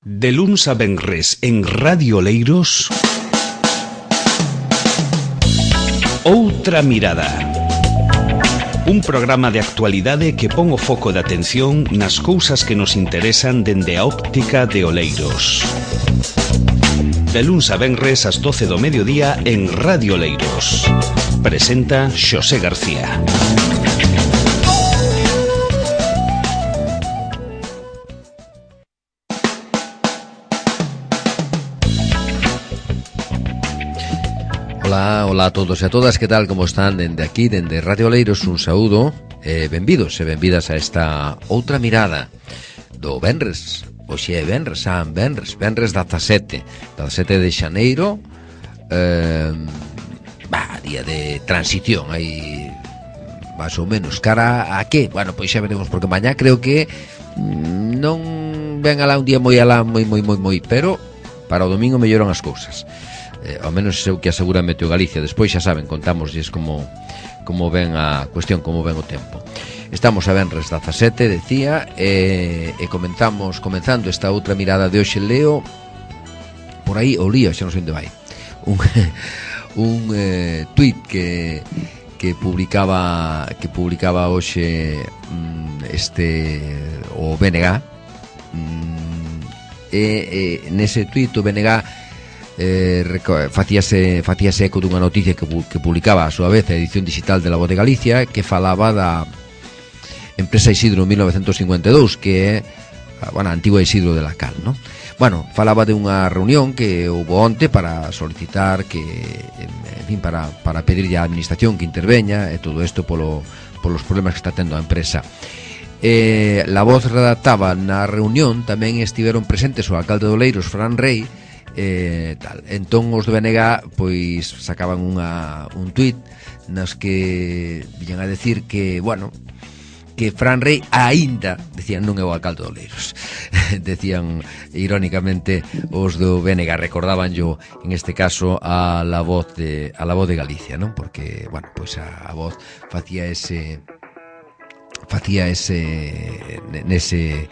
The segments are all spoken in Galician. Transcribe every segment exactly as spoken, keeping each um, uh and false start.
De luns a venres en Radio Oleiros, Outra Mirada. Un programa de actualidade que pon o foco de atención nas cousas que nos interesan dende a óptica de Oleiros. De luns a venres ás doce do mediodía en Radio Oleiros. Presenta Xosé García. Ola, ola a todos e a todas, que tal, como están dende aquí, dende Radio Oleiros, un saúdo e benvidos e benvidas a esta outra mirada do venres. Oxe é venres, san venres, venres dezasete de xaneiro, eh, bah, día de transición, aí máis ou menos, cara a que? Bueno, pois xa veremos, porque mañá creo que non ven alá un día moi alá, moi, moi, moi, moi, pero para o domingo melloran as cousas. Eh, ao menos é o que asegura Meteo Galicia. Despois xa saben, contámoslles como como ven a cuestión, como ven o tempo. Estamos a venres dezasete, decía, e, e comentamos, comenzando esta outra mirada de hoxe. Leo por aí, o lío, xa non sei onde vai, un, un eh, tuit que que publicaba que publicaba hoxe este o B N G, e, e nese tuit o B N G Eh, facíase, facíase eco dunha noticia que, que publicaba a súa vez a edición digital de La Voz de Galicia, que falaba da empresa Isidro mil novecentos cincuenta e dous, que é, bueno, a antigua Isidro de la Cal, ¿no? Bueno, falaba de unha reunión que houve onte para solicitar que, en fin, para, para pedirlle á administración que interveña e todo isto polo, polos problemas que está tendo a empresa. Eh, La Voz redactaba na reunión, tamén estiveron presentes o alcalde de Oleiros, Fran Rey, Eh, tal. Entón os do B N G pois sacaban unha, un tuit nas que viñan a decir que, bueno, que Fran Rey aínda, decían, non é o alcalde de Oleiros. Decían irónicamente os do B N G, recordaban yo en este caso a la voz de a la voz de Galicia, non? Porque, bueno, pois a, a voz facía ese facía ese nese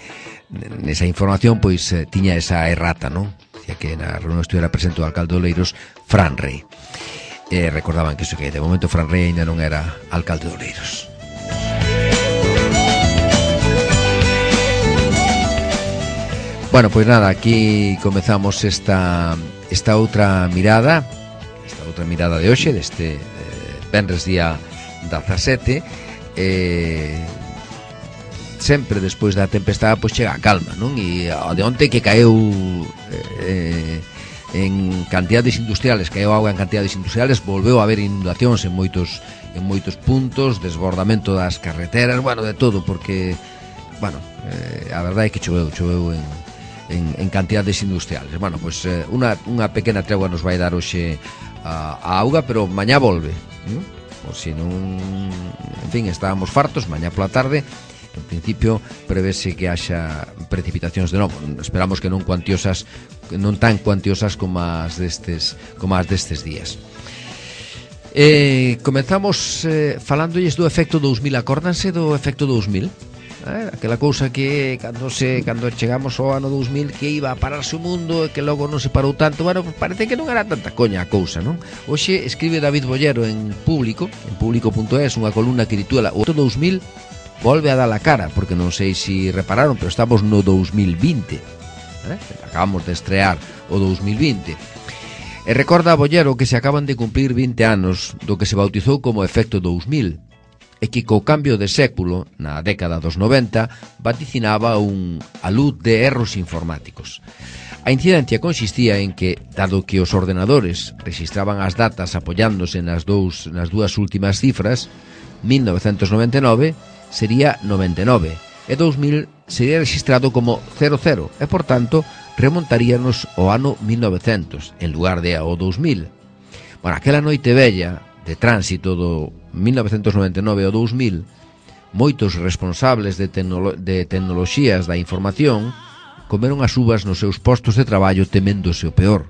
nesa información, pois eh, tiña esa errata, non? Decía que na reunión estuviera presente o alcalde de Oleiros, Fran Rey. Eh, recordaban que iso, que de momento Fran Rey ainda non era alcalde de Oleiros. Bueno, pois nada, aquí comezamos esta esta outra mirada, esta outra mirada de hoxe, deste eh, venres día dezasete. Eh, sempre despois da tempestade pois chega a calma, non? E a de onte que caeu eh, en cantidades industriales, caeu auga en cantidades industriales, volveu a haber inundacións en moitos en moitos puntos, desbordamento das carreteras, bueno, de todo, porque, bueno, eh, a verdade é que choveu, choveu en, en, en cantidades industriales. Bueno, pois eh, unha, unha pequena tregua nos vai dar hoxe a, a auga, pero mañá volve, non? Por si non, en fin, estábamos fartos, mañá pola tarde. En principio prevese que haxa precipitacións de novo. Esperamos que non cuantiosas, non tan cuantiosas como as destes, como as destes días. Eh, comenzamos eh, falándolles do efecto dous mil. Acórdanse do efecto dous mil? Eh, aquela cousa que cando se cando chegamos ao ano dous mil que iba a pararse o mundo e que logo non se parou tanto. Bueno, parece que non era tanta coña a cousa, non? Hoxe escribe David Bollero en Público, en público punto es, unha columna que titula O dous mil volve a dar a cara, porque non sei se repararon, pero estamos no dous mil vinte, eh? Acabamos de estrear o dous mil vinte. E recorda a Bollero que se acaban de cumplir vinte anos do que se bautizou como efecto dous mil, e que co cambio de século, na década dos noventa, vaticinaba un alud de erros informáticos. A incidencia consistía en que, dado que os ordenadores registraban as datas apoiándose nas, dous, nas dúas últimas cifras, mil novecentos noventa e nove sería noventa e nove e dous mil sería registrado como cero cero e, por tanto, remontaríanos ao ano mil novecentos en lugar de ao dous mil. Bueno, aquela noite bella de tránsito do mil novecentos noventa e nove ao dous mil, moitos responsables de, tecnolo- de tecnoloxías da información comeron as uvas nos seus postos de traballo teméndose o peor.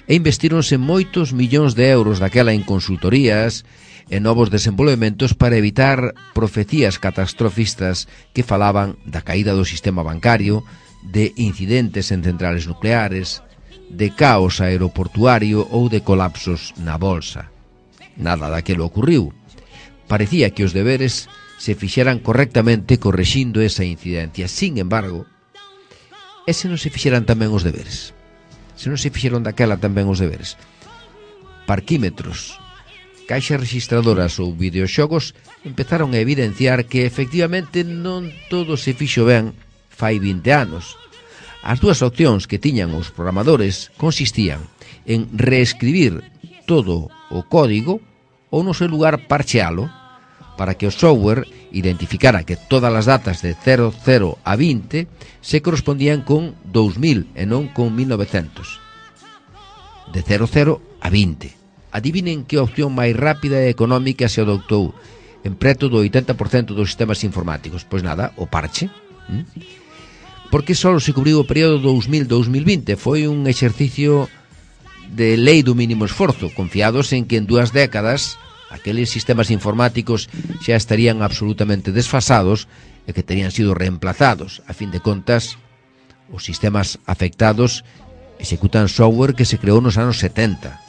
E investíronse moitos millóns de euros daquela en consultorías e novos desenvolvementos para evitar profecías catastrofistas que falaban da caída do sistema bancario, de incidentes en centrales nucleares, de caos aeroportuario ou de colapsos na bolsa. Nada daquilo ocurriu. Parecía que os deberes se fixeran correctamente correxindo esa incidencia. Sin embargo, e se non se fixeran tamén os deberes? Se non se fixeron daquela tamén os deberes? Parquímetros, caixas registradoras ou videoxogos empezaron a evidenciar que efectivamente non todo se fixo ben fai vinte anos. As dúas opcións que tiñan os programadores consistían en reescribir todo o código ou no seu lugar parchealo para que o software identificara que todas as datas de cero cero a vinte se correspondían con dous mil e non con mil novecientos. De cero cero a vinte. Adivinen que opción máis rápida e económica se adoptou en preto do oitenta por cento dos sistemas informáticos. Pois nada, o parche. ¿Mm? Porque só se cubriu o período dous mil a dous mil vinte. Foi un exercicio de lei do mínimo esforzo, confiados en que en dúas décadas aqueles sistemas informáticos xa estarían absolutamente desfasados e que terían sido reemplazados. A fin de contas, os sistemas afectados executan software que se creou nos anos setenta.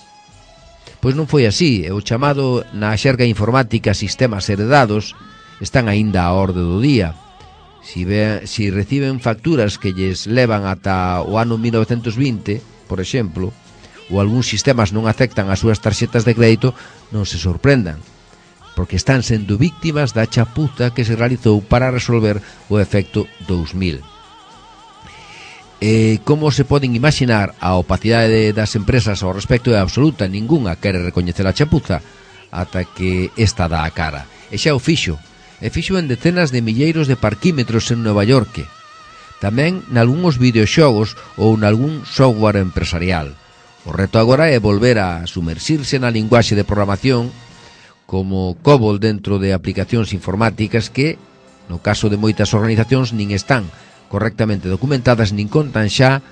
Pois non foi así, e o chamado na xerga informática sistemas heredados están aínda á orde do día. Si, ve, si reciben facturas que lles levan ata o ano mil novecentos vinte, por exemplo, ou algúns sistemas non aceptan as súas tarxetas de crédito, non se sorprendan, porque están sendo víctimas da chapuza que se realizou para resolver o efecto dous mil. E como se poden imaginar, a opacidade das empresas ao respecto é absoluta. Ningunha quere recoñecer a chapuza ata que esta dá a cara. E xa o fixo. E fixo en decenas de milleiros de parquímetros en Nova York. Tamén nalgúns videoxogos ou nalgún software empresarial. O reto agora é volver a sumersirse na linguaxe de programación como COBOL dentro de aplicacións informáticas que, no caso de moitas organizacións, nin están correctamente documentadas nin contan xa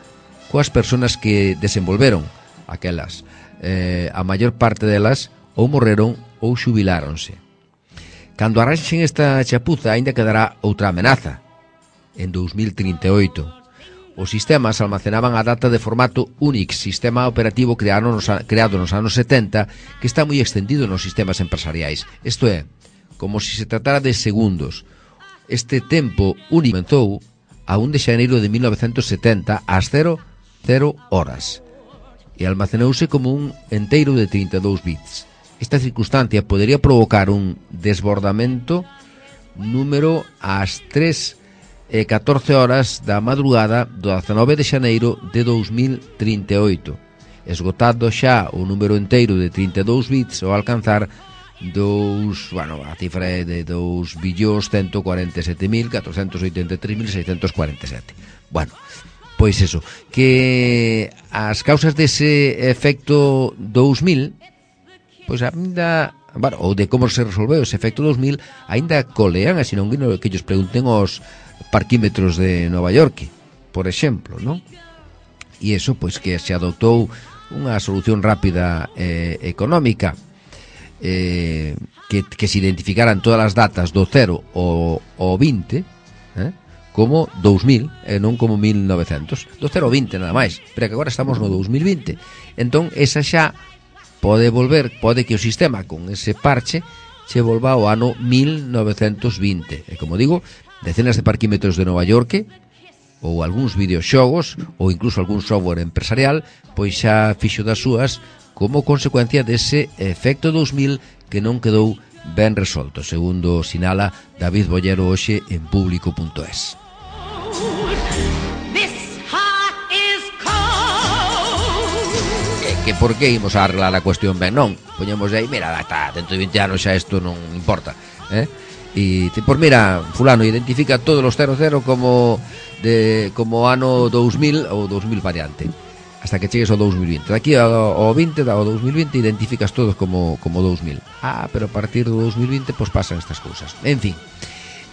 coas persoas que desenvolveron aquelas. Eh, a maior parte delas ou morreron ou xubiláronse. Cando arranxen esta chapuza, aínda quedará outra amenaza. En dous mil trinta e oito, os sistemas almacenaban a data de formato Unix, sistema operativo creado nos, creado nos anos setenta, que está moi extendido nos sistemas empresariais. Isto é, como se se tratara de segundos. Este tempo Unix comenzou a un de xaneiro de mil novecentos setenta ás cero cero horas e almacenouse como un enteiro de trinta e dous bits. Esta circunstancia podería provocar un desbordamento número ás tres e catorce horas da madrugada do dezanove de xaneiro de dous mil trinta e oito, esgotado xa o número enteiro de trinta e dous bits ao alcanzar dos, bueno, a cifra é de dous billóns ciento cuarenta e sete mil catrocentos oitenta e tres mil seiscentos cuarenta e sete. Bueno, pois eso, que as causas dese efecto dous mil, pois ainda, bueno, ou de como se resolveu ese efecto dous mil, ainda colean, así non que ellos pregunten aos parquímetros de Nova York, por exemplo, non? E iso, pois, que se adoptou unha solución rápida e eh, económica, eh, que, que se identificaran todas as datas do cero ao, ao vinte, eh, como dous mil e non como mil novecentos. Do cero ao vinte nada máis, pero que agora estamos no dous mil vinte. Entón, esa xa pode volver, pode que o sistema con ese parche se volva ao ano mil novecentos vinte. E como digo, decenas de parquímetros de Nova York ou algúns videoxogos ou incluso algún software empresarial pois xa fixo das súas como consecuencia dese efecto dous mil que non quedou ben resolto, segundo sinala David Bollero hoxe en público punto es. Que por que imos a arreglar a cuestión ben? Non, poñemos aí, mira, está, dentro de vinte anos xa isto non importa, eh? E, por mira, fulano identifica todos os cero cero como de como ano dous mil ou dous mil variante, hasta que chegues ao dous mil vinte. Daqui ao, ao vinte, ao dous mil vinte identificas todos como, como dous mil. Ah, pero a partir do dous mil vinte pois pasan estas cousas. En fin,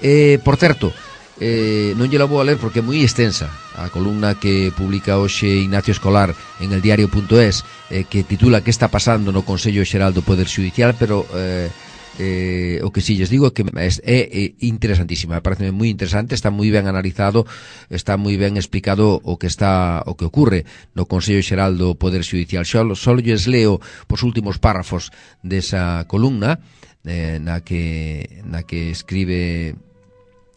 eh, por certo, eh, non lle la vou a ler porque é moi extensa a columna que publica hoxe Ignacio Escolar en el diario punto es, eh, que titula "Que está pasando no Consello Xeral do Poder Xudicial", pero eh, eh, o que si lles digo que é, é interesantísima, parece moi interesante, está moi ben analizado, está moi ben explicado o que está o que ocurre no Consello Xeral do Poder Xudicial. Só, só lles leo os últimos párrafos desa columna eh, na que na que escribe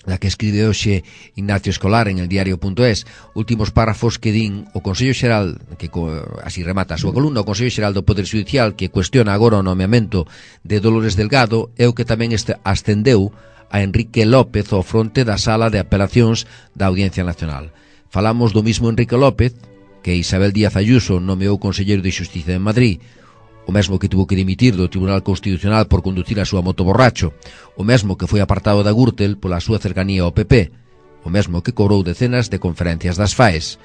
na que escribe hoxe Ignacio Escolar en el diario punto es, últimos párrafos que din o Consello Xeral, que así remata a súa columna, o Consello Xeral do Poder Xudicial que cuestiona agora o nomeamento de Dolores Delgado é o que tamén este ascendeu a Enrique López ao fronte da Sala de Apelacións da Audiencia Nacional. Falamos do mismo Enrique López que Isabel Díaz Ayuso nomeou conselleiro de Xustiza en Madrid, o mesmo que tuvo que dimitir do Tribunal Constitucional por conducir a súa moto borracho, o mesmo que foi apartado da Gürtel pola súa cercanía ao P P, o mesmo que cobrou decenas de conferencias das FAEs.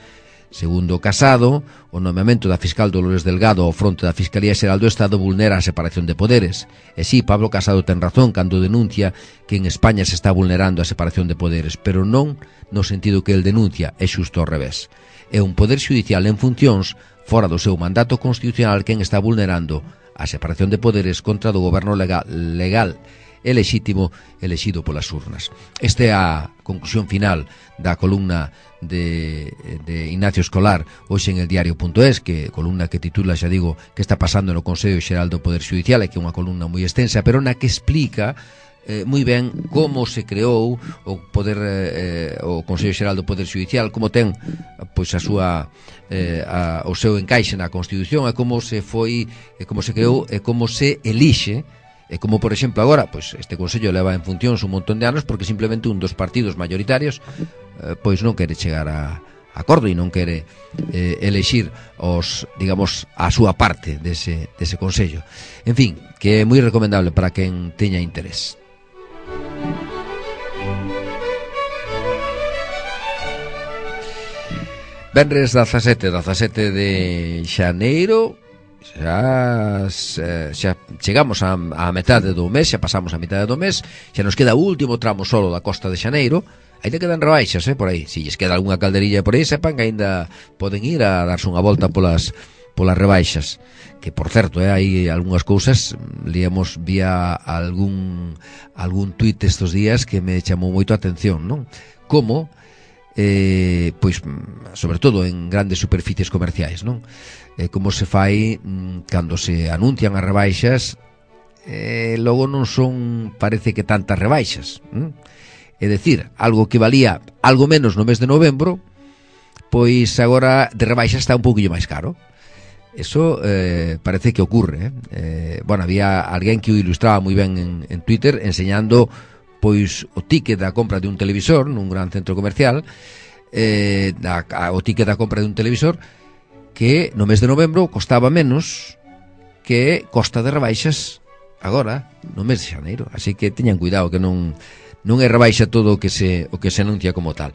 Segundo Casado, o nomeamento da fiscal Dolores Delgado ao fronte da Fiscalía Xeral do Estado vulnera a separación de poderes. E si, Pablo Casado ten razón cando denuncia que en España se está vulnerando a separación de poderes, pero non no sentido que el denuncia, é xusto ao revés. É un poder xudicial en funcións fora do seu mandato constitucional quen está vulnerando a separación de poderes contra do goberno legal, legal e lexítimo elexido polas urnas. Esta é a conclusión final da columna de, de Ignacio Escolar hoxe en el diario punto es, que columna que titula, xa digo, que está pasando no Consello Xeral do Poder Xudicial, e que é unha columna moi extensa, pero na que explica Eh, moi ben como se creou o poder eh, o Consello Xeral do Poder Xudicial, como ten pois a súa eh, a, o seu encaixe na Constitución, e como se foi, e como se creou, e como se elixe, e como por exemplo agora, pois este Consello leva en funcións un montón de anos porque simplemente un dos partidos mayoritarios eh, pois non quere chegar a acordo e non quere eh, elexir os, digamos, a súa parte dese, dese Consello. En fin, que é moi recomendable para quen teña interés. Venres dezasete, dezasete de xaneiro, xa, xa chegamos a, a metade do mes, xa pasamos a metade do mes, xa nos queda o último tramo solo da costa de Xaneiro. Ainda quedan rebaixas, eh, por aí. Se lles queda algunha calderilla por aí, sepan que ainda poden ir a darse unha volta polas polas rebaixas, que por certo, eh, hai algunhas cousas, liamos vía algún algún tuit estes días que me chamou moito a atención, non? Como eh, pois, sobre todo en grandes superficies comerciais, non? Eh, como se fai mm, cando se anuncian as rebaixas, eh, logo non son, parece que tantas rebaixas, hm? É dicir, algo que valía algo menos no mes de novembro, pois agora de rebaixa está un pouquinho máis caro. Eso eh, parece que ocurre, eh? Eh, bueno, había alguén que o ilustraba moi ben en, en Twitter enseñando pois o ticket da compra de un televisor nun gran centro comercial, eh, a, a, o ticket da compra de un televisor que no mes de novembro costaba menos que costa de rebaixas agora no mes de xaneiro, así que teñan cuidado que non non é rebaixa todo o que se o que se anuncia como tal.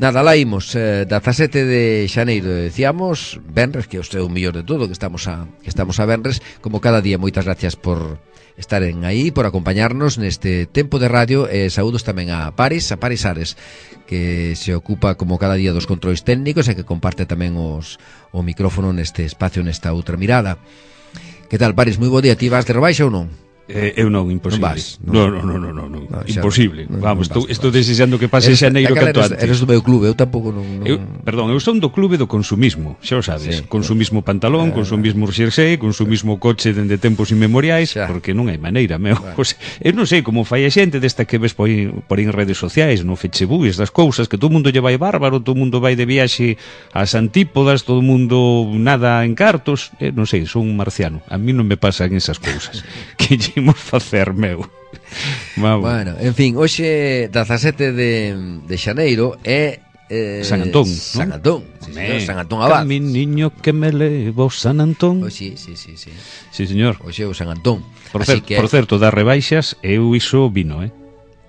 Nada, lá imos, eh, dezasete de xaneiro, decíamos, venres, que é o mellor de todo, que estamos a que estamos a venres, como cada día. Moitas gracias por estaren aí, por acompañarnos neste tempo de radio, e saúdos tamén a Paris, a Paris Ares, que se ocupa como cada día dos controis técnicos e que comparte tamén os o micrófono neste espacio, nesta outra mirada. Que tal, Paris? Moi bo día. Ti vas de rebaixa ou non? Eh, eu non, imposible. Non vas, non, non, non, non, non, non. No, imposible. Non, Vamos, non vas, estou, estou vas. desexando que pase xaneiro canto eres, antes. eres do meu clube, eu tampouco non... non... Eu, perdón, eu son do clube do consumismo, xa o sabes. Sí, consumismo pantalón, eh, consumismo xersei, consumismo coche dende tempos inmemoriais, xa. Porque non hai maneira, meu. Bueno. Pues, eu non sei como fai a xente desta que ves por aí, por aí en redes sociais, no Facebook, estas cousas, que todo mundo lle vai bárbaro, todo mundo vai de viaxe ás antípodas, todo mundo nada en cartos, eh, non sei, son un marciano. A mí non me pasan esas cousas. Que lle imos facer, meu? Vamos. Bueno, en fin, hoxe dezasete de, de xaneiro é eh, San Antón, San ¿no? Antón, sí, señor, San Antón Abad. Mi niño que me levo San Antón. Oh, sí, sí, sí, sí. Sí, señor. Hoxe é o San Antón. Por, Así cer que... por certo, das rebaixas, eu iso vino, eh?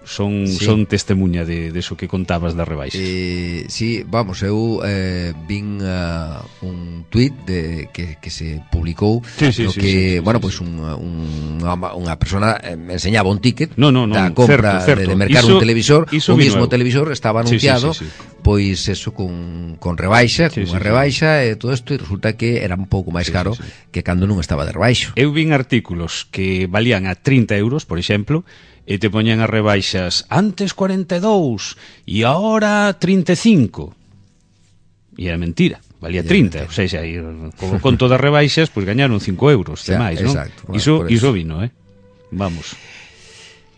Son, sí. son testemunha de, de eso que contabas das rebaixas. Eh, sí, vamos, eu eh, vin uh, un tuit de, que, que se publicou sí, sí, no sí, que, sí, sí, bueno, sí, pois pues un, un, unha, unha persona eh, me enseñaba un ticket no, no, no, da compra certo, certo. de, de mercar iso, un televisor, o mismo eu. televisor estaba anunciado sí, sí, sí, sí. pois eso con, con rebaixa, sí, con unha sí, rebaixa e todo isto, e resulta que era un pouco máis sí, caro sí, sí. que cando non estaba de rebaixo. Eu vin artículos que valían a trinta euros, por exemplo, e te poñen as rebaixas antes cuarenta e dous e agora trinta e cinco. E era mentira, valía trinta, ou seja, co conto das rebaixas, pois gañaron cinco euros, de máis, non? Iso, iso vino, eh? Vamos.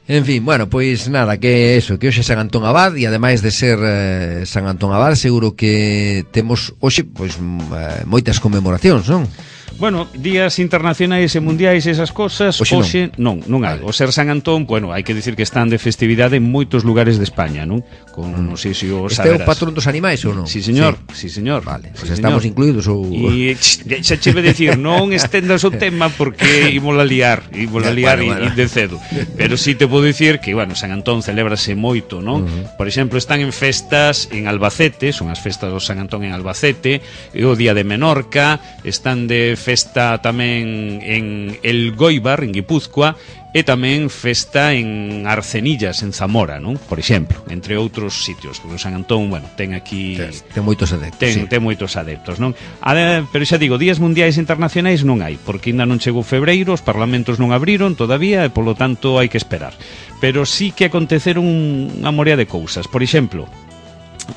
En fin, bueno, pois nada, que eso, que hoxe é San Antón Abad e ademais de ser eh, San Antón Abad, seguro que temos hoxe pois eh, moitas conmemoracións, non? Bueno, días internacionais e mundiais esas cosas, hoxe, hoxe non, non, non hai. Vale. O ser San Antón, bueno, hai que dicir que están de festividade en moitos lugares de España, non? Con, mm. non sei se o saberás. Este é o patrón dos animais ou non? Sí, señor, sí, sí señor. Vale, sí, pues estamos señor. incluídos ou... E xa che ve decir, non estendas o tema porque ímola liar, ímola liar bueno, bueno. de cedo. Pero sí te podo dicir que, bueno, San Antón celébrase moito, non? Uh-huh. Por exemplo, están en festas en Albacete, son as festas do San Antón en Albacete, e o día de Menorca, están de festa tamén en El Goibar, en Guipúzcoa, e tamén festa en Arcenillas, en Zamora, non? Por exemplo, entre outros sitios, porque o San Antón, bueno, ten aquí... Ten, ten moitos adeptos, ten, sí. ten moitos adeptos, non? A, pero xa digo, días mundiais internacionais non hai, porque ainda non chegou febreiro, os parlamentos non abriron todavía, e polo tanto hai que esperar. Pero sí que aconteceron unha morea de cousas. Por exemplo,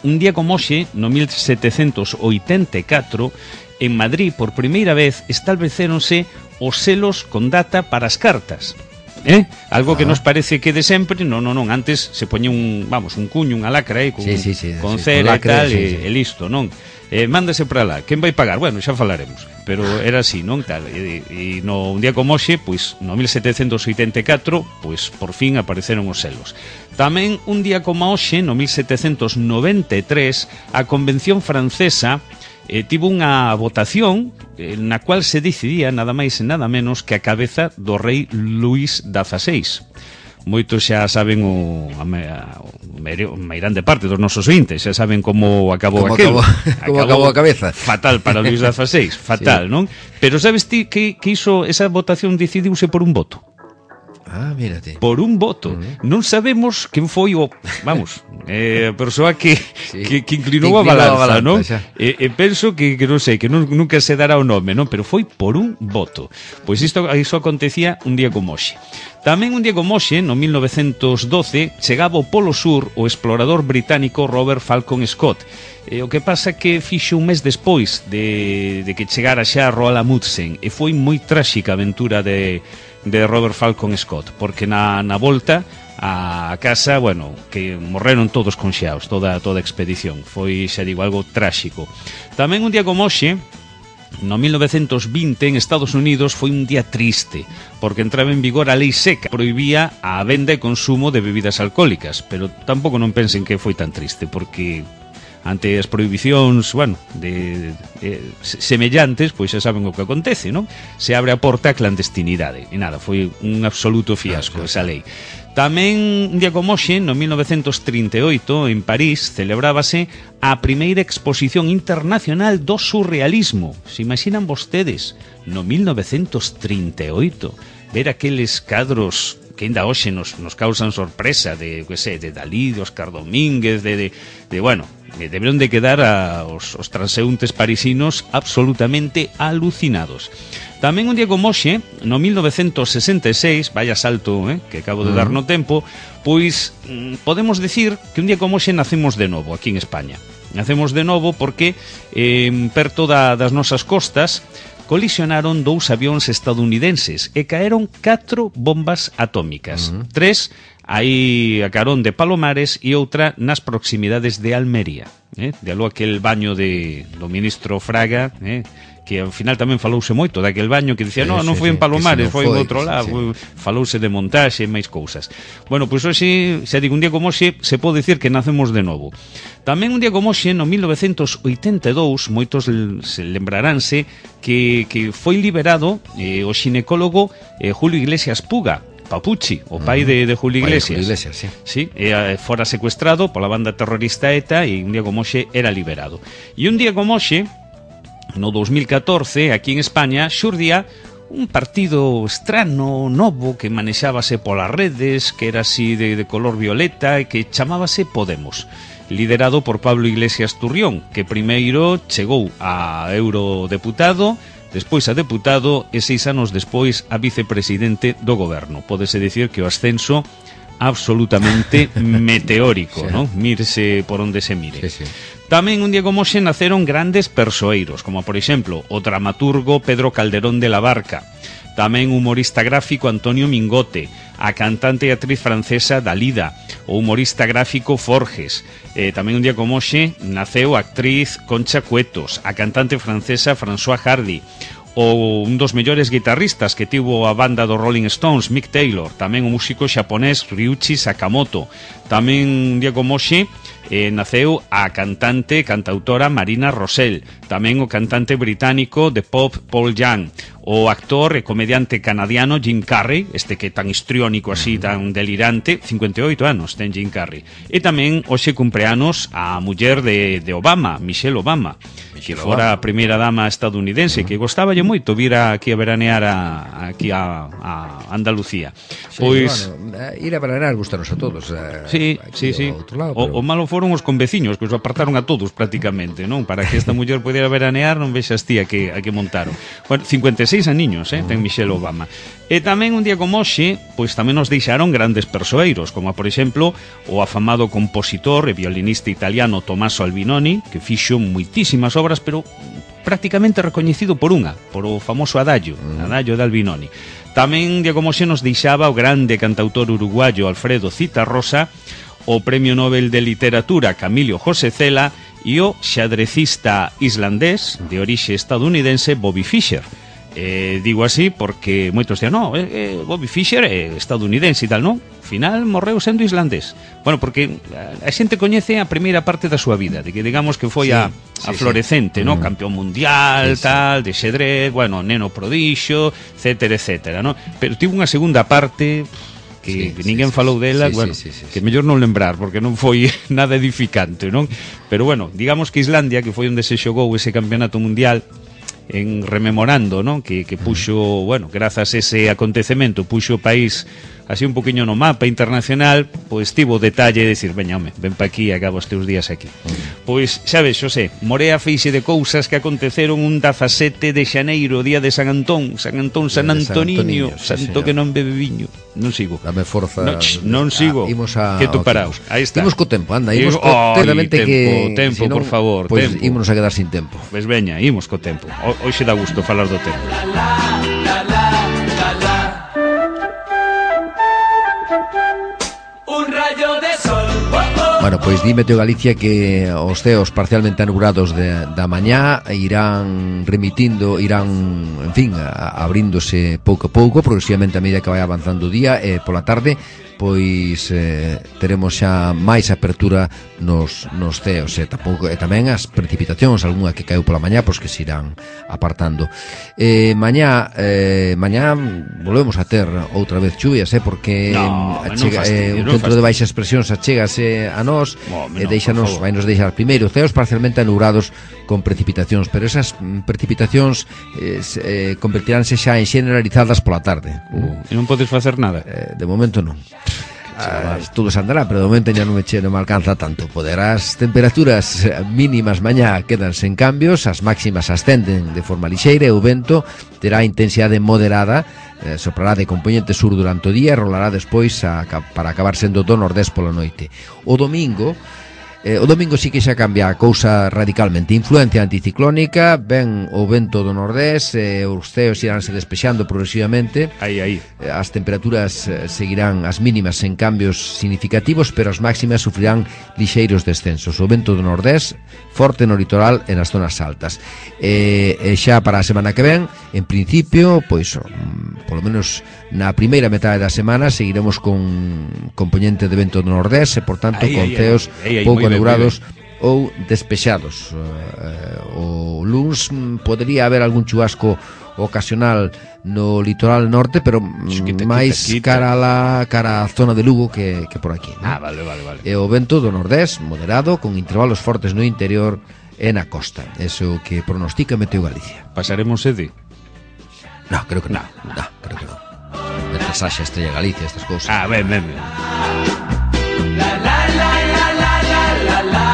un día como hoxe, no mil setecentos oitenta e catro, en Madrid, por primeira vez, estableceronse os selos con data para as cartas. Eh? Algo ah. que nos parece que de sempre, non, non, non, antes se poñía un, vamos, un cuño, unha lacra, eh, con, sí, sí, sí, con sí, cera con lacra, e tal, sí, e, sí. e listo, non? Eh, mándase para lá, quen vai pagar? Bueno, xa falaremos, pero era así, non? Tal, e, e no un día como hoxe, pois, no mil setecentos oitenta e catro, pois, por fin apareceron os selos. Tamén un día como hoxe, no mil setecentos noventa e tres, a Convención Francesa Eh, tivo unha votación eh, na cual se decidía nada máis e nada menos que a cabeza do rei Luís dieciséis. Moitos xa saben o, a, a, o meirande parte dos nosos ointes, xa saben como acabou como aquilo. Acabou, como acabou a cabeza. Fatal para Luís dieciséis, fatal, sí. Non? Pero sabes ti que, que iso, esa votación decidiuse por un voto? Ah, mírate. Por un voto. Uh-huh. Non sabemos quen foi o, vamos, eh, a persoa que, sí. que, que inclinou a balanza, non? E, e penso que, que non sei, que non, nunca se dará o nome, non? Pero foi por un voto. Pois isto, iso acontecía un día como hoxe. Tamén un día como hoxe, no mil novecentos doce, chegaba ao Polo Sur o explorador británico Robert Falcon Scott. E o que pasa que fixo un mes despois de, de que chegara xa Roald Amundsen, e foi moi tráxica a aventura de... de Robert Falcon Scott, porque na, na volta a casa, bueno, que morreron todos conxeados, toda toda a expedición. Foi, xa digo, algo tráxico. Tamén un día como hoxe, no mil novecentos vinte, en Estados Unidos, foi un día triste, porque entraba en vigor a lei seca, prohibía a venda e consumo de bebidas alcohólicas, pero tampouco non pensen que foi tan triste, porque ante as prohibicións, bueno, de, de, de semellantes, pois xa saben o que acontece, non? Se abre a porta a clandestinidade. E nada, foi un absoluto fiasco esa lei. Tamén, un día como hoxe, no mil novecentos trinta e oito, en París, celebrábase a primeira exposición internacional do surrealismo. Se imaginan vostedes, no mil novecentos trinta e oito, ver aqueles cadros que ainda hoxe nos, nos causan sorpresa de, que sei, de Dalí, de Óscar Domínguez, de, de, de bueno, deberon de quedar a, os, os transeúntes parisinos absolutamente alucinados. Tamén un día como hoxe, no mil novecentos sesenta e seis, vaya salto, eh, que acabo de dar no tempo, pois mm, podemos decir que un día como hoxe nacemos de novo aquí en España. Nacemos de novo porque eh, perto da, das nosas costas colisionaron dous avións estadounidenses e caeron catro bombas atómicas. Uh-huh. Tres aí a carón de Palomares e outra nas proximidades de Almería. Eh? De algo aquel baño de, do ministro Fraga, eh? que ao final tamén falouse moito daquel baño que dicía, sí, no, non foi en Palomares, foi en outro lado, sí, sí. Falouse de montaxe e máis cousas. Bueno, pois hoxe, xa digo, un día como hoxe, se pode dicir que nacemos de novo. Tamén un día como hoxe, no mil novecentos oitenta e dous, moitos se lembraránse que, que foi liberado eh, o xinecólogo eh, Julio Iglesias Puga, Papuchi, o pai de, de Julio Iglesias. Julio Iglesias, sí. Sí, e, fora secuestrado pola banda terrorista ETA e un día como hoxe era liberado. E un día como hoxe, no dos mil catorce, aquí en España, xurdía un partido estrano, novo, que manexábase polas redes, que era así de, de color violeta e que chamábase Podemos. liderado por Pablo Iglesias Turrión, que primeiro chegou a eurodeputado, despois a deputado e seis anos despois a vicepresidente do goberno. Pódese dicir que o ascenso absolutamente meteórico, sí, ¿no? Mírese por onde se mire. Sí, sí. Tamén un día como hoxe naceron grandes persoeiros, como por exemplo o dramaturgo Pedro Calderón de la Barca, tamén o humorista gráfico Antonio Mingote, a cantante e actriz francesa Dalida, o humorista gráfico Forges. Eh, tamén un día como hoxe naceu a actriz Concha Cuetos, a cantante francesa François Hardy, o un dos mellores guitarristas que tivo a banda dos Rolling Stones, Mick Taylor, tamén o músico xaponés Ryuichi Sakamoto. Tamén un día como hoxe eh, naceu a cantante e cantautora Marina Rosell, tamén o cantante británico de pop Paul Young, o actor e comediante canadiano Jim Carrey, este que tan histriónico así, tan delirante, cincuenta e oito anos ten Jim Carrey. E tamén hoxe cumpleanos a muller de, de Obama, Michelle Obama, Michelle que fora Obama, a primeira dama estadounidense, uh-huh, que gostaballe moito vir aquí a veranear a, aquí a, a Andalucía. Sí, pois bueno, ir a veranear gustanos a todos. Eh, sí, sí, sí. Lado, o, pero... o malo foron os conveciños, que os apartaron a todos prácticamente, non? Para que esta muller pudiera veranear, non vexas ti a que, a que montaron. Bueno, cincuenta e seis aniños, eh, ten Michelle Obama. E tamén un día como hoxe, pois tamén nos deixaron grandes persoeiros, como por exemplo o afamado compositor e violinista italiano Tommaso Albinoni, que fixo moitísimas obras, pero prácticamente recoñecido por unha, por o famoso Adagio, mm. Adagio de Albinoni. Tamén un día como hoxe nos deixaba o grande cantautor uruguayo Alfredo Zitarrosa, o Premio Nobel de Literatura Camilio José Cela e o xadrecista islandés de orixe estadounidense Bobby Fischer. Eh, digo así porque moitos dían, no, eh, eh, Bobby Fischer é estadounidense e tal, non? Ao final morreu sendo islandés. Bueno, porque a xente coñece a primeira parte da súa vida, de que digamos que foi sí, a, a sí, florecente, sí, ¿no? Mm. Campeón mundial, sí, tal, sí, de xedrez, bueno, neno prodixio, etcétera, etcétera, ¿no? Pero tivo unha segunda parte que sí, ninguén sí, falou dela, sí, bueno, sí, sí, sí, que mellor non lembrar, porque non foi nada edificante, non? Pero bueno, digamos que Islandia, que foi onde se xogou ese campeonato mundial, en rememorando, ¿no? Que, que puxo, bueno, grazas a ese acontecemento, puxo o país así un poquinho no mapa internacional, pois tivo o detalle de decir, veña, home, ven pa aquí e acaba os teus días aquí. Pois, sabes, Xosé, morea feixe de cousas que aconteceron un dezasete de xaneiro, día de San Antón, San Antón, San Antoniño, sí, santo señor, que non bebe viño. Non sigo. Dame forza. No, ch, non sigo. Ah, a, que tú paraos. Aí está. Imos co tempo, anda, imos co oh, tempo, que tempo, si non, por favor, pois tempo. Ímonos a quedar sin tempo. Pois veña, imos co tempo. O, hoxe dá gusto falar do tempo. Un rayo de sol. Oh, oh. Bueno, pois di Meteo Galicia que os ceos parcialmente anubrados de, da mañá irán remitindo, irán, en fin, a, abríndose pouco a pouco, progresivamente a medida que vai avanzando o día, e pola tarde pois eh, teremos xa máis apertura nos, nos ceos e, tampouco, e tamén as precipitacións, algunha que caeu pola mañá, pois que se irán apartando. eh, mañá eh, mañá volvemos a ter outra vez chuvias, eh, porque no, achega, fastidio, eh, un centro de baixas presións achégase a nós, no, e deixanos, vai nos deixar primeiro ceos parcialmente anubrados con precipitacións, pero esas precipitacións eh, eh, convertiránse xa en generalizadas pola tarde. Uh, e non podes facer nada? Eh, de momento non. Ah, todo se andará, pero de momento ya non me, che, non me alcanza tanto. Poderás temperaturas mínimas mañá quedan sen cambios, as máximas ascenden de forma lixeira e o vento terá intensidade moderada, eh, soprará de componente sur durante o día e rolará despois a, para acabar sendo do nordés pola noite. O domingo Eh, o domingo sí que xa cambia a cousa radicalmente. Influencia anticiclónica, ven o vento do nordés, eh, os ceos iránse despexando progresivamente. Aí, aí. Eh, as temperaturas eh, seguirán as mínimas en cambios significativos, pero as máximas sufrirán lixeiros descensos. O vento do nordés forte no litoral e nas zonas altas. Eh, e xa para a semana que ven, en principio, pois, mm, polo menos na primeira metade da semana seguiremos con componente de vento do nordés e, por tanto, aí, con aí, ceos aí, aí, pouco anegrados ou despexados. Uh, o luns podría haber algún chubasco ocasional no litoral norte, pero quita, máis quita, quita. cara a la cara a zona de Lugo que, que por aquí, ¿no? Ah, vale, vale, vale. E o vento do nordés moderado con intervalos fortes no interior e na costa. Eso que pronostica Meteo Galicia. Pasaremos sede? No, creo que no. No, no creo que no. De pasaxe Estrella Galicia, estas cousas. Ah, ben, ben, ben. La la la la la la la la.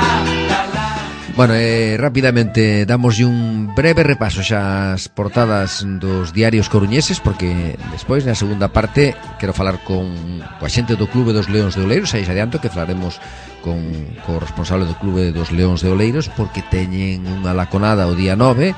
Bueno, eh, rapidamente damos un breve repaso xa as portadas dos diarios coruñeses, porque despois na segunda parte quero falar con coa xente do Clube dos Leóns de Oleiros. Aí xa adianto que falaremos con co responsable do Clube dos Leóns de Oleiros, porque teñen unha laconada o día nove,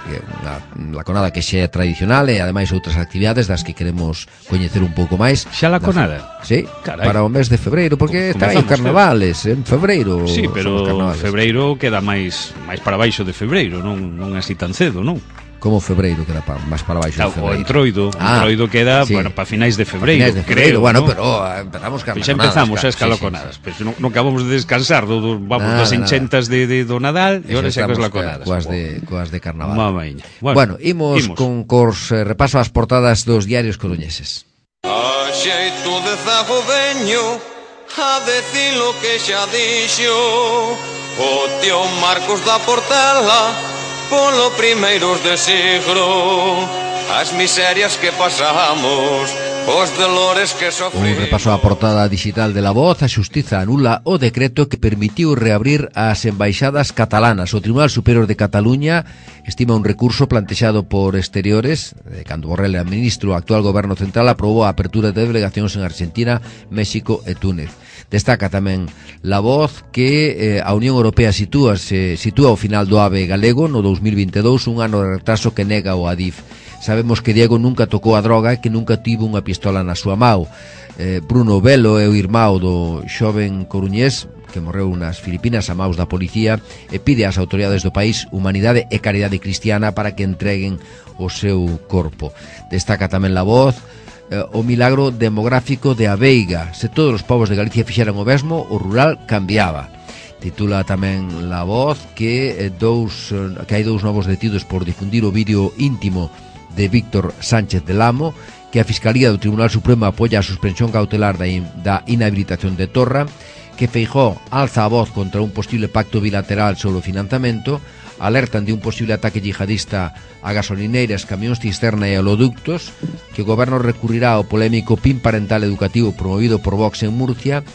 unha laconada que xa é tradicional, e ademais outras actividades das que queremos coñecer un pouco máis. Xa laconada? Sí, carai, para o mes de febreiro, porque está aí o carnavales en febreiro. Sí, pero febreiro queda máis máis para baixo de febreiro, non non así tan cedo, non? Como febreiro queda pa, máis para baixo de O febreiro. entroido, ah, o entroido queda, sí, bueno, para finais de febreiro, finais de febreiro, creo, bueno, ¿no? Pero uh, empezamos con xa empezamos as caloconadas, sí, sí, sí. Pero non, non acabamos de descansar do, do, vamos, nada, das enchentas de, de, do Nadal, e ora xa coas laconadas. Coas de, coas de carnaval. Mamaña. Bueno, bueno, imos, imos con cos eh, repaso ás portadas dos diarios coruñeses. A xeito de zago veño a decir lo que xa dixo o tío Marcos da Portela polo primeiros de siglo, as miserias que pasamos, os dolores que sofrimos. Un repaso á portada digital de La Voz. A xustiza anula o decreto que permitiu reabrir as embaixadas catalanas. O Tribunal Superior de Cataluña estima un recurso plantexado por Exteriores, de cando Borrell era ministro. O actual goberno central aprobou a apertura de delegacións en Argentina, México e Túnez. Destaca tamén La Voz que eh, a Unión Europea sitúa, se sitúa ao final do AVE galego no dos mil vinte e dous, un ano de retraso que nega o Adif. Sabemos que Diego nunca tocou a droga e que nunca tivo unha pistola na súa mão. Eh, Bruno Velo é o irmão do xoven coruñés que morreu nas Filipinas a maus da policía e pide ás autoridades do país humanidade e caridade cristiana para que entreguen o seu corpo. Destaca tamén La Voz o milagro demográfico de Aveiga. Se todos os povos de Galicia fixeran o mesmo, o rural cambiaba. Titula tamén La Voz que dous que hai dous novos detidos por difundir o vídeo íntimo de Víctor Sánchez del Amo, que a Fiscalía do Tribunal Supremo apoia a suspensión cautelar da, in, da inhabilitación de Torra, que Feijóo alza a voz contra un posible pacto bilateral sobre o financiamento, alertan de un posible ataque yihadista a gasolineiras, camións cisterna e oleoductos, que o goberno recurrirá ao polémico P I N parental educativo promovido por Vox en Murcia,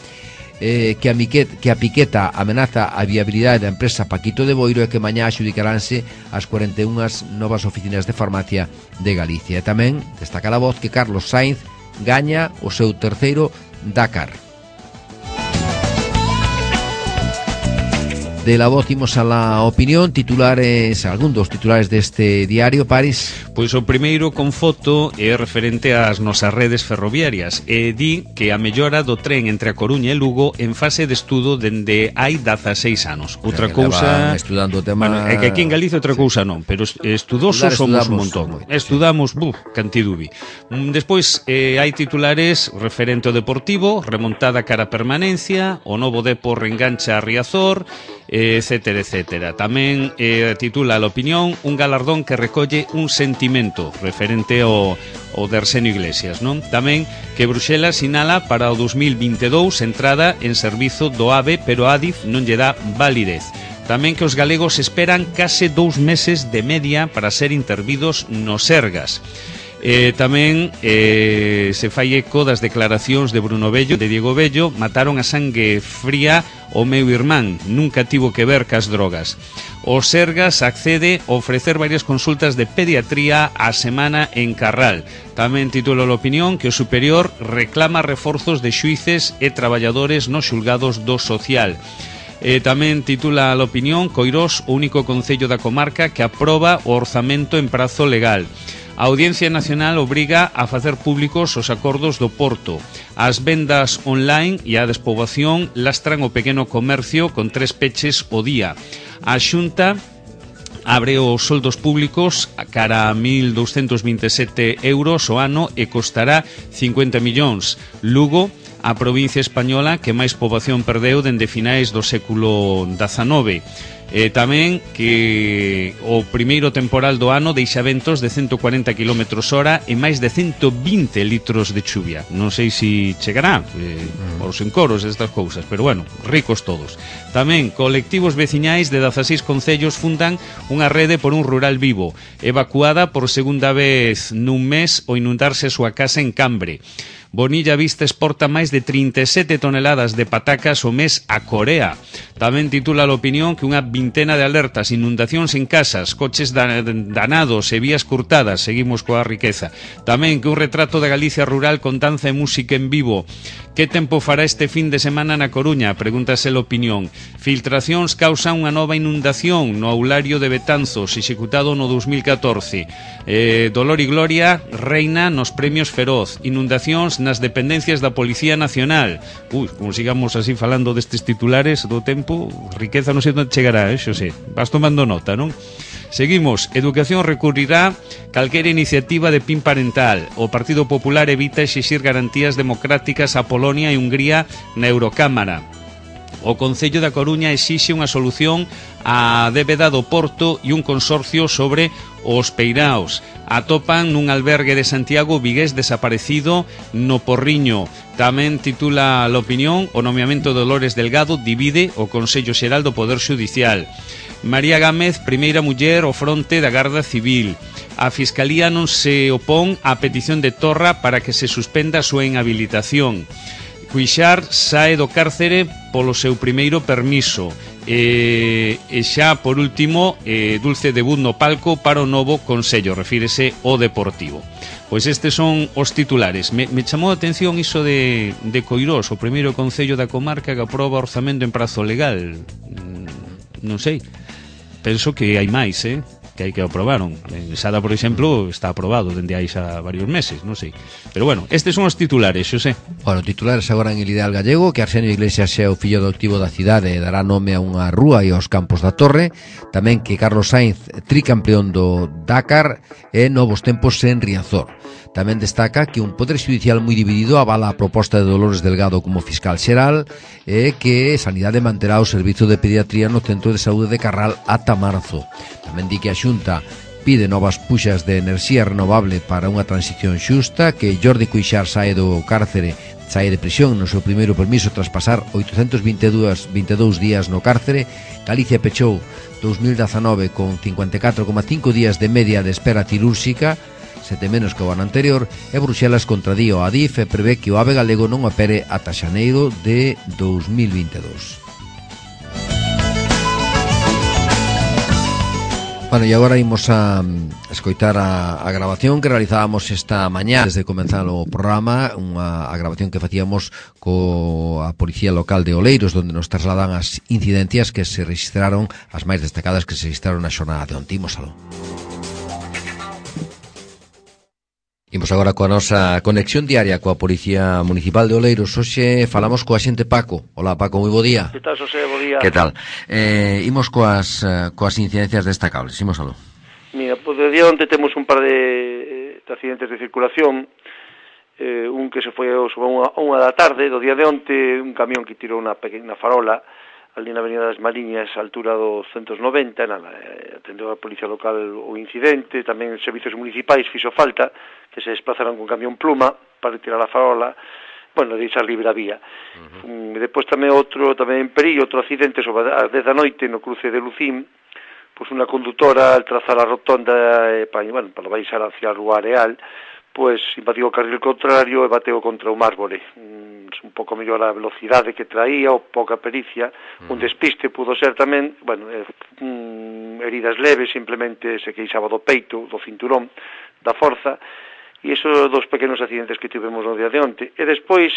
eh, que, a Miquet, que a Piqueta amenaza a viabilidade da empresa Paquito de Boiro e que mañá adxudicaránse as cuarenta e unha novas oficinas de farmacia de Galicia. E tamén destaca La Voz que Carlos Sainz gaña o seu terceiro Dakar. De La Voz imos a La Opinión. Titulares, algún dos titulares deste diario, Paris. Pois o primeiro con foto é referente ás nosas redes ferroviarias e di que a mellora do tren entre a Coruña e Lugo en fase de estudo dende hai dezaseis anos. Outra cousa, estudando o tema, bueno, é que aquí en Galicia outra cousa non, pero estudosos somos un montón. Estudamos, buf, cantidubi. Despois eh, hai titulares referente ao Deportivo, remontada cara a permanencia, o novo Depo reengancha a Riazor, etcétera, etcétera. Tamén eh, titula La Opinión un galardón que recolle un sentimento referente ao, ao de Arsenio Iglesias, non? Tamén que Bruxelas sinala para o dos mil vinte e dous entrada en servizo do AVE, pero Adif non lle dá validez. Tamén que os galegos esperan case dous meses de media para ser intervidos no Sergas. Eh, tamén eh, se fai eco das declaracións de Bruno Bello, de Diego Bello. Mataron a sangue fría o meu irmán, nunca tivo que ver cas drogas. O Sergas accede a ofrecer varias consultas de pediatría á semana en Carral. Tamén titula a Opinión que o Superior reclama reforzos de xuíces e traballadores nos xulgados do social. Eh, tamén titula a Opinión Coirós, o único concello da comarca que aproba o orzamento en prazo legal. A Audiencia Nacional obriga a facer públicos os acordos do Porto. As vendas online e a despoboación lastran o pequeno comercio con tres peches o día. A Xunta abre os soldos públicos a cara a mil douscentos vinte e sete euros o ano e costará cincuenta millóns. Lugo, a provincia española que máis poboación perdeu dende finais do século dezanove. Eh, tamén que o primeiro temporal do ano deixa ventos de ciento cuarenta kilómetros hora e máis de ciento vinte litros de chuvia. Non sei se chegará eh, os encoros estas cousas, pero bueno, ricos todos. Tamén colectivos veciñais de dezaseis concellos fundan unha rede por un rural vivo, evacuada por segunda vez nun mes o inundarse a súa casa en Cambre. Bonilla Vista exporta máis de trinta e sete toneladas de patacas o mes a Corea. Tamén titula a Opinión que unha vintena de alertas, inundacións en casas, coches danados e vías curtadas. Seguimos coa riqueza. Tamén que un retrato da Galicia rural con danza e música en vivo. Que tempo fará este fin de semana na Coruña? Pregúntase a opinión. Filtracións causan unha nova inundación no aulario de Betanzos, executado no dos mil catorce. Eh, dolor e gloria reina nos premios Feroz. Inundacións nas dependencias da Policía Nacional. Ui, como sigamos así falando destes titulares do tempo, riqueza non sei onde chegará, eh, xo sei. Vas tomando nota, non? Seguimos. Educación recurrirá calquera iniciativa de P I N parental. O Partido Popular evita exixir garantías democráticas a Polonia e Hungría na Eurocámara. O Concello da Coruña exixe unha solución á débeda do Porto e un consorcio sobre os peiraos. Atopan nun albergue de Santiago vigués desaparecido no Porriño. Tamén titula l'opinión: o nomeamento de Dolores Delgado divide o Consello Xeral do Poder Xudicial. María Gámez, primeira muller ao fronte da Garda Civil. A Fiscalía non se opón á petición de Torra para que se suspenda a súa inhabilitación. Cuixart sae do cárcere polo seu primeiro permiso. E, e xa, por último, eh, dulce debut no palco para o novo Consello, refírese ao Deportivo. Pois estes son os titulares. Me, me chamou a atención iso de, de Coirós, o primeiro Concello da comarca que aproba orzamento en prazo legal. Mm, non sei. Penso que hai máis, eh? que hai que aprobaron. En Sada, por exemplo, está aprobado dende hai xa varios meses, non sei. Pero bueno, estes son os titulares, Xosé. Bueno, titulares agora en El Ideal Gallego, que Arsenio Iglesias é o fillo adoptivo da cidade e dará nome a unha rúa e aos campos da Torre. Tamén que Carlos Sainz, tricampeón do Dakar, e novos tempos en Riazor. Tamén destaca que un poder judicial moi dividido avala a proposta de Dolores Delgado como fiscal xeral e que Sanidade manterá o servizo de pediatría no Centro de Saúde de Carral ata marzo. Tamén di que a Xunta pide novas puxas de enerxía renovable para unha transición xusta, que Jordi Cuixart sae do cárcere, sae de prisión no seu primeiro permiso tras pasar oitocentos vinte e dous días no cárcere. Galicia pechou dos mil dezanove con cincuenta e catro coma cinco días de media de espera cirúrxica, sete menos que o ano anterior, e Bruxelas contradí o Adif e prevé que o AVE galego non opere ata xaneiro de dos mil vinte e dous. Bueno, e agora imos a escoitar a, a grabación que realizábamos esta mañá desde comenzar o programa, unha a grabación que facíamos coa Policía Local de Oleiros, onde nos trasladan as incidencias que se registraron, as máis destacadas que se registraron na xornada de onte. Imos aló. Imos agora coa nosa conexión diaria coa Policía Municipal de Oleiros. Hoxe falamos coa xente Paco. Hola Paco, moi bo día. Que tal, Xosé? Bo día. Que tal? Eh, imos coas, coas incidencias destacables. Imos aló. Mira, pois de día onte temos un par de, de accidentes de circulación. Eh, un que se foi sobre unha, unha da tarde, do día de onte, un camión que tirou unha pequena farola ali na Avenida das Mariñas, a altura dos ciento noventa, nada, atendeu a Policía Local o incidente, tamén servizos municipais fixo falta, que se desplazaron con camión pluma para retirar a farola, bueno, deixar libre a vía. Uh-huh. E depois tamén outro, tamén en Perillo, outro accidente sobre as dez da noite no cruce de Lucín, pois unha condutora al trazar a rotonda, eh, para, bueno, para baixar hacia a Rúa Areal, pois invadiu o carril contrario e bateu contra un árbore. Un pouco mellor a velocidade que traía, ou pouca pericia, mm. un despiste pudo ser tamén, bueno, eh, um, heridas leves, simplemente se queixaba do peito, do cinturón, da forza, e esos dos pequenos accidentes que tivemos no día de onte. E despois,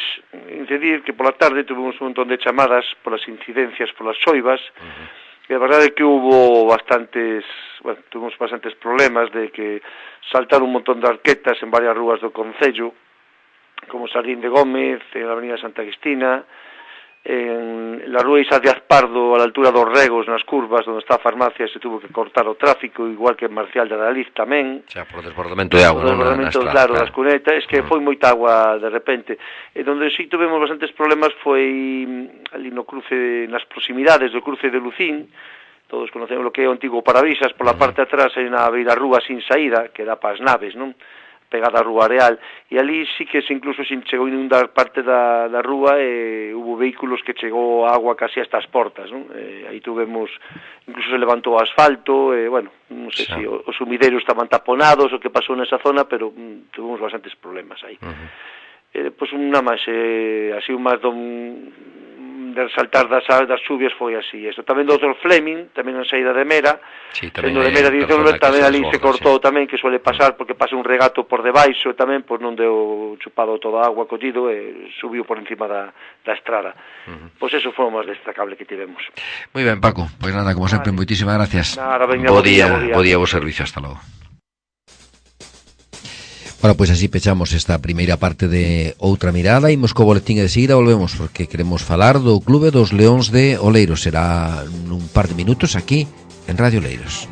incidir que pola tarde tuvemos un montón de chamadas polas incidencias, polas xoivas, mm-hmm. e a verdade é que hubo bastantes, bueno, tuvemos bastantes problemas de que saltaron un montón de arquetas en varias rúas do concello, como Sardín de Gómez, en la Avenida Santa Cristina, en la Rúa Isa de Azpardo, a la altura dos Regos, nas curvas, onde está a farmacia, se tuvo que cortar o tráfico, igual que en Marcial de Adaliz tamén. Xa, por desbordamento de agua. Por desbordamento, claro, das cunetas, es que foi moita agua de repente. E donde sí tuvemos bastantes problemas foi ali no cruce, nas proximidades do cruce de Lucín, todos conocemos o que é o antigo Parabrisas, pola parte de atrás hai na beira rúa sin saída, que dá para as naves, non? Pegada a Rúa Areal, e ali sí que se incluso se chegou a inundar parte da, da rúa e hubo vehículos que chegou agua casi hasta as portas, non? E aí tuvemos, incluso se levantou o asfalto, e bueno, non sei se os sumideiros estaban taponados, o que pasou nesa zona, pero mm, tuvemos bastantes problemas aí. Uh-huh. E depois unha máis, eh, así un máis don, de saltar das, das chuvias foi así. Isto tamén do doutor Fleming, tamén en saída de Mera, sí, tamén de Mera dirección, tamén ali se cortou sí. tamén, que suele pasar porque pasa un regato por debaixo tamén, pois non deu chupado toda a agua collido e subiu por encima da, da estrada. Uh-huh. Pois eso foi o máis destacable que tivemos. Moi ben, Paco, pois nada, como sempre, vale. Moitísimas gracias. Nada, venga, bo día, bo día, bo servicio, hasta logo. Bueno, pois así pechamos esta primeira parte de Outra Mirada. Imos co boletín e de seguida volvemos porque queremos falar do Clube dos Leóns de Oleiros. Será nun par de minutos aquí en Radio Oleiros.